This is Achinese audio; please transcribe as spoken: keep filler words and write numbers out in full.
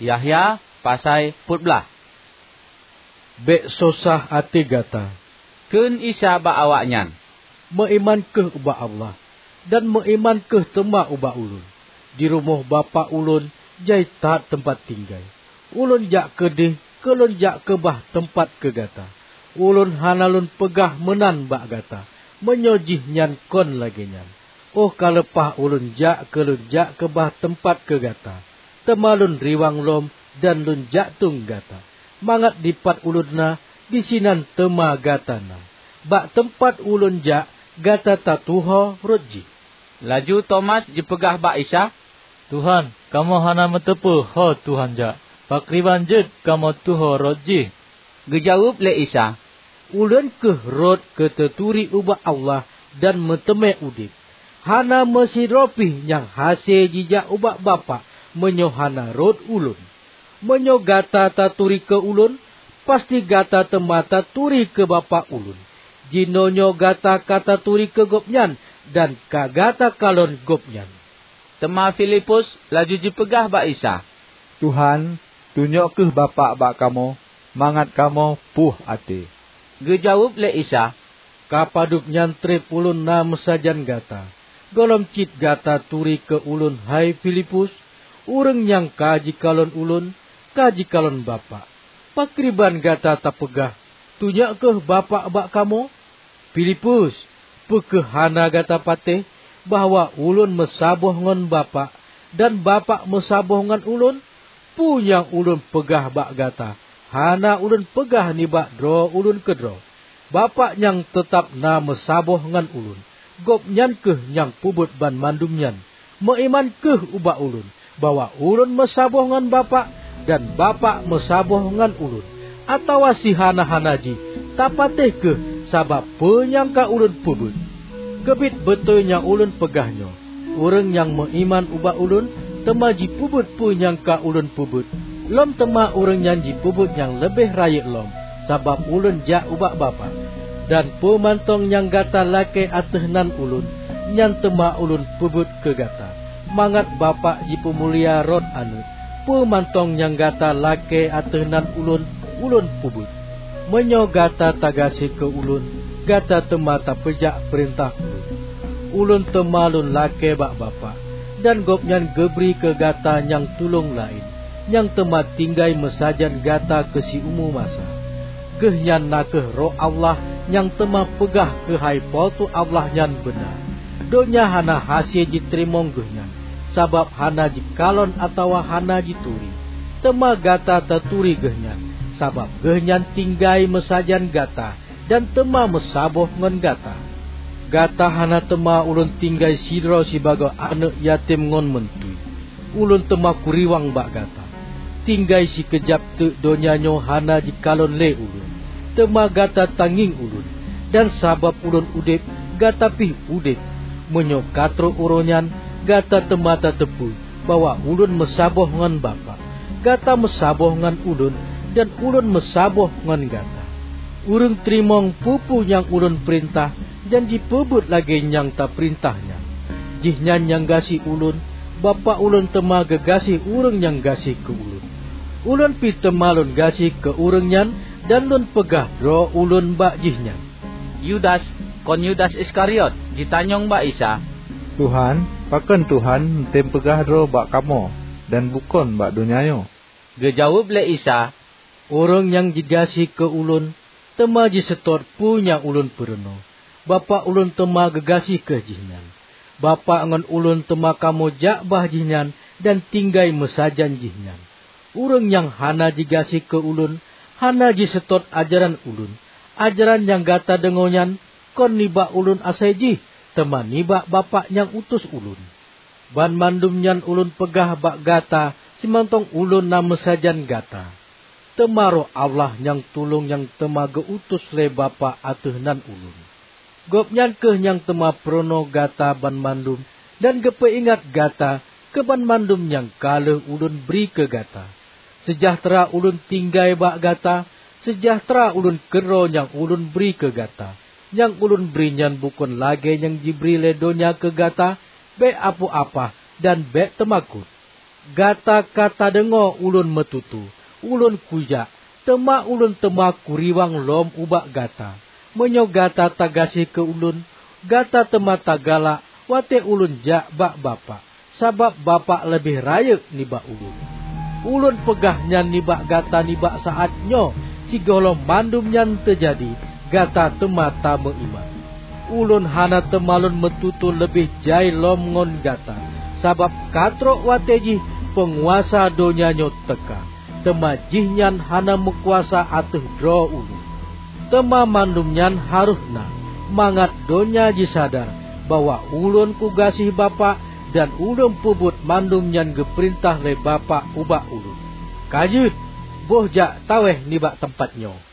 Yahya pasai peuet blaih. "Bék sosah até gata," kheun Isa bak awaknyan, "meuiman kheueh ubak Allah, dan meuiman kheueh teuma ubak Ulôn. Di rumoh Bapak Ulôn jai that teumpat tinggai. Ulôn jak keudeh keu Lôn jak keubah teumpat keu gata. Ulôn hana Lôn peugah meunan bak gata, meunyoe jihnyan kon lagée nyan. Óh ka leupah Ulôn jak keu Lôn jak keubah teumpat keu gata, teuma Lôn riwang lom dan Lôn jak tueng gata, mangat dipat Ulôn na, disinan teuma gata na. Bak teumpat Ulôn jak, gata tatuho rot jih." Laju Tomas jipeugah bak Isa, "Tuhan, kamoe hana meuteupeue ho Tuhan jak. Pakriban jeuet kamoe tuho rot jih?" Geujaweueb lé Isa, "Ulôn kheueh rot keu teuturi ubak Allah dan meuteumé udeb. Hana meusidroe pih nyang hase jijak ubak Bapak meunyoe hana rot Ulôn. Meunyoe gata taturi keu Ulôn, pasti gata teuma taturi keu Bapak Ulôn. Jinoenyoe gata ka taturi keu Gobnyan dan ka gata kalon Gobnyan." Teuma Filipus laju jipeugah bak Isa, "Tuhan, tunyok kheueh Bapak bak kamoe, mangat kamoe puih até." Geujaweueb lé Isa, "Ka padub nyan treb Ulôn na meusajan gata, gohlom cit gata turi keu Ulôn, hai Filipus? Ureuëng nyang ka jikalon Ulôn, ka jikalon Bapak. Pakriban gata tapeugah, 'Tunyok kheueh Bapak bak kamoe'? Filipus, peu kheueh hana gata patéh bahwa Ulôn meusaboh ngon Bapak, dan Bapak meusaboh ngon Ulôn? Peue nyang Ulôn peugah bak gata, hana Ulôn peugah nibak droe Ulôn keudroe. Bapak nyang teutab na meusaboh ngon Ulôn, Gobnyan kheueh nyang peubuet banmandum nyan. Meuiman kheueh ubak Ulôn, bahwa Ulôn meusaboh ngon Bapak, dan Bapak meusaboh ngon Ulôn. Atawa sihana-hana jih, tapatéh kheueh sabab peue nyang ka Ulôn peubuet. Keubiet beutôi nyang Ulôn peugah nyoe: Ureuëng nyang meuiman ubak Ulôn, teuma jipeubuet peue nyang ka Ulôn peubuet, lom teuma ureuëng nyan jipeubuet nyang leubeh rayeuk lom, sabab Ulôn jak ubak Bapak. Dan peue mantong nyang gata lakée ateueh nan Ulôn, nyan teuma Ulôn peubuet keu gata, mangat Bapak jipeumulia rot Aneuëk. Peue mantong nyang gata lakée ateueh nan Ulôn, Ulôn peubuet. Meunyoe gata tagaséh keu Ulôn, gata teuma tapeujak peurintah Ulôn. Ulôn teuma Lôn lakée bak Bapak, dan Gobnyan geubri keu gata nyang tulông laén, nyang teuma tinggai meusajan gata keu siumu masa. Geuhnyan na kheueh Roh Allah nyang teuma peugah keuhai Po teu Allah nyan beuna. Donya hana hase jiteurimong Geuhnyan, sabab hana jikalon atawa hana jituri. Teuma gata taturi Geuhnyan, sabab Geuhnyan tinggai meusajan gata dan teuma meusaboh ngon gata. Gata hana teuma Ulôn tinggai sidroe sibagoe aneuëk yatim ngon meuntui. Ulôn teuma kuriwang bak gata. Tinggai sikeujab teuk donya nyoe hana jikalon lé Ulôn, teuma gata tangieng Ulôn, dan sabab Ulôn udeb, gata pih udeb. Meunyoe ka trok uroe nyan, gata teuma tateupeue bahwa Ulôn meusaboh ngon Bapak. Gata meusaboh ngon Ulôn, dan Ulôn meusaboh ngon gata. Ureuëng teurimong peue-peue nyang Ulôn peurintah, dan jipeubuet lagée nyang tapeurintah nyan, jihnyan nyang gaséh Ulôn. Bapak Ulôn teuma geugaséh ureuëng nyang gaséh keu Ulôn. Ulôn pih teuma Lôn gaséh keu ureuëng nyan, dan Lôn peugah droe Ulôn bak jihnyan." Yudas, kon Yudas Iskariot, jitanyong bak Isa, "Tuhan, pakon Tuhan neutem peugah droe bak kamoe dan bukon bak donya nyoe?" Geujaweueb lé Isa, "Ureuëng nyang jigaséh keu Ulôn, teuma jiseutôt peue nyang Ulôn peurunoe. Bapak Ulôn teuma geugaséh kheueh jihnyan. Bapak ngon Ulôn teuma kamoe jak bah jihnyan dan tinggai meusajan jihnyan. Ureuëng nyang hana jigaséh keu Ulôn, hana jiseutôt ajaran Ulôn. Ajaran nyang gata deungoe nyan kon nibak Ulôn asai jih, teuma nibak Bapak nyang utus Ulôn. Banmandum nyan Ulôn peugah bak gata simantong Ulôn na meusajan gata. Teuma Roh Allah nyang tulông nyang teuma geu-utus lé Bapak ateueh nan Ulôn. Gobnyan kheueh nyang teuma peurunoe gata banmandum dan geupeuingat gata keu banmandum nyang ka lheueh Ulôn bri keu gata. Seujahteura Ulôn tinggai bak gata, seujahteura Ulôn keudroe nyang Ulôn bri keu gata. Nyang Ulôn bri nyan bukon lagée nyang jibri lé donya keu gata. Bék apoh-apah dan bék teumakot." Gata ka tadeungoe ulôn meututoe, ulôn kujak, teuma ulôn teuma kuriwang lom ubak gata. Meunyoe gata tagaséh keu ulôn, gata teuma tagalak watée ulôn jak bak Bapak, sabab Bapak leubeh rayeuk nibak ulôn. Ulôn peugah nyan nibak gata nibak saát nyoe, sigohlom mandum nyan teujadi, gata teuma tameuiman. Ulôn hana teumalon meututoe leubeh jai lom ngon gata, sabab ka trok watée jih peunguasa donya nyoe teuka, teuma jihnyan hana meukuasa ateueh droe ulôn. Teuma mandum nyan harôh na, mangat donya jisadar bahwa ulôn kugaséh Bapak dan ulôn peubuet mandum nyang geupeurintah lé Bapak ubak ulôn. Ka jeuet, boh jak tawéh nibak teumpat nyoe.